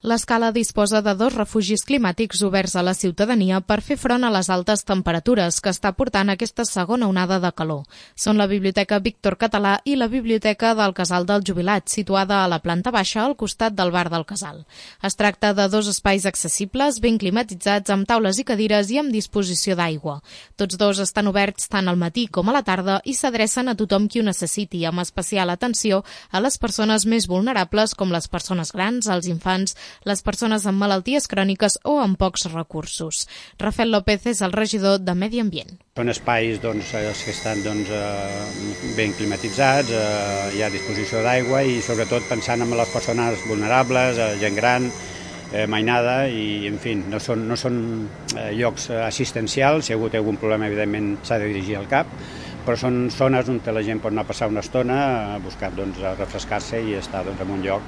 L'Escala disposa de 2 refugis climàtics oberts a la ciutadania per fer front a les altes temperatures que està portant aquesta segona onada de calor. Són la Biblioteca Víctor Català i la Biblioteca del Casal del Jubilat, situada a la planta baixa al costat del bar del Casal. Es tracta de 2 espais accessibles, ben climatitzats, amb taules i cadires i amb disposició d'aigua. Tots 2 estan oberts tant al matí com a la tarda i s'adrecen a tothom qui ho necessiti, amb especial atenció a les persones més vulnerables com les persones grans, els infants, les persones amb malalties cròniques o amb pocs recursos. Rafael López és el regidor de Medi Ambient. Són espais que estan ben climatitzats, hi ha disposició d'aigua i sobretot pensant en les persones vulnerables, gent gran, mainada i, en fi, no són llocs assistencials. Si ha hagut algun problema, evidentment, s'ha de dirigir al CAP, però són zones on la gent pot anar a passar una estona a buscar refrescar-se i estar en un lloc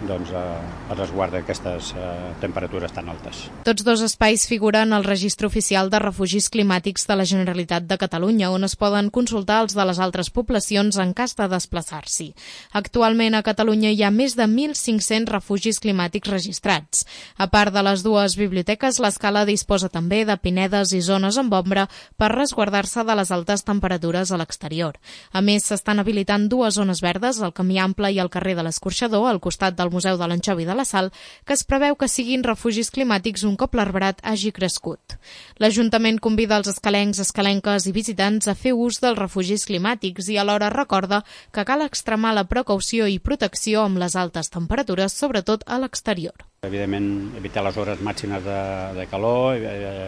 a resguard d'aquestes temperatures tan altes. Tots 2 espais figuren al Registre Oficial de Refugis Climàtics de la Generalitat de Catalunya, on es poden consultar els de les altres poblacions en cas de desplaçar-s'hi. Actualment a Catalunya hi ha més de 1.500 refugis climàtics registrats. A part de les 2 biblioteques, l'Escala disposa també de pinedes i zones amb ombra per resguardar-se de les altes temperatures a l'exterior. A més, s'estan habilitant 2 zones verdes, el Camí Ample i el carrer de l'Escorxador, al costat del Museu de l'Anxova i de la Sal, que es preveu que siguin refugis climàtics un cop l'arbrat hagi crescut. L'Ajuntament convida els escalencs, escalenques i visitants a fer ús dels refugis climàtics i alhora recorda que cal extremar la precaució i protecció amb les altes temperatures, sobretot a l'exterior. Evidentment, evitar les hores màximes de calor,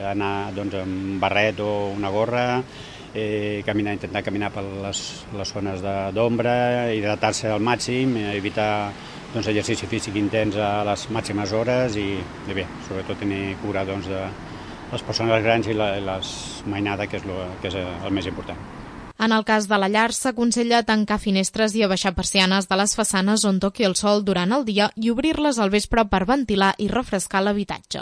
anar amb barret o una gorra, intentar caminar per les zones d'ombra, hidratar-se al màxim, evitar exercici físic intens a les màximes hores i bé, sobretot tenir cura de les persones grans i la mainada, que és el més important. En el cas de la llar, s'aconsella tancar finestres i abaixar persianes de les façanes on toqui el sol durant el dia i obrir-les al vespre per ventilar i refrescar l'habitatge.